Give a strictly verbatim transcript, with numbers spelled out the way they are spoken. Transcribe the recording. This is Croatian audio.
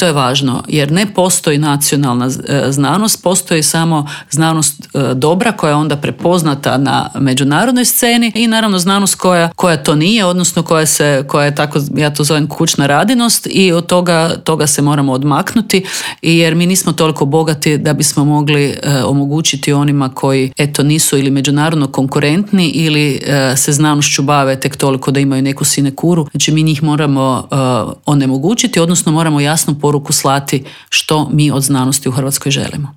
To je važno jer ne postoji nacionalna znanost, postoji samo znanost dobra koja je onda prepoznata na međunarodnoj sceni i naravno znanost koja, koja to nije, odnosno koja, se, koja je tako, ja to zovem kućna radinost i od toga, toga se moramo odmaknuti jer mi nismo toliko bogati da bismo mogli e, omogućiti onima koji eto nisu ili međunarodno konkurentni ili e, se znanošću bave tek toliko da imaju neku sinekuru. Znači mi njih moramo e, onemogućiti, odnosno moramo jasnu poruku slati što mi od znanosti u Hrvatskoj želimo.